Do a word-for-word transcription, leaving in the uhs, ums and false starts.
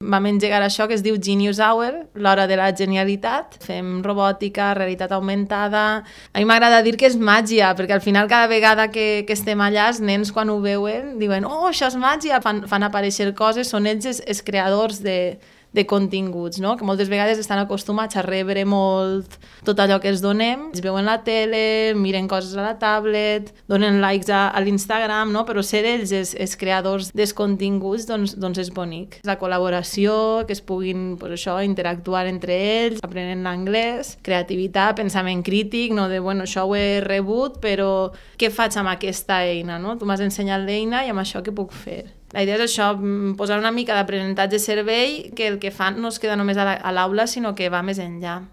vam engegar això que es diu Genius Hour, l'hora de la genialitat. Fem robòtica, realitat augmentada... A mi m'agrada dir que és màgia, perquè al final cada vegada que, que estem allà, els nens quan ho veuen diuen oh, això és màgia, fan, fan aparèixer coses, són ells els, els creadors de... de continguts, no? Que moltes vegades estan acostumats a rebre molt tot allò que els donem, es veuen la tele, miren coses a la tablet, donen likes a, a l'Instagram, no? Però ser ells els, els creadors dels continguts doncs, doncs és bonic. La col·laboració, que es puguin pues això, interactuar entre ells, aprenent l'anglès, creativitat, pensament crític, no? De bueno, això ho he rebut, però què faig amb aquesta eina? No? Tu m'has ensenyat l'eina i amb això què puc fer? La idea és això, posar una mica d'aprenentatge servei, que el que fan no es queda només a l'aula, sinó que va més enllà.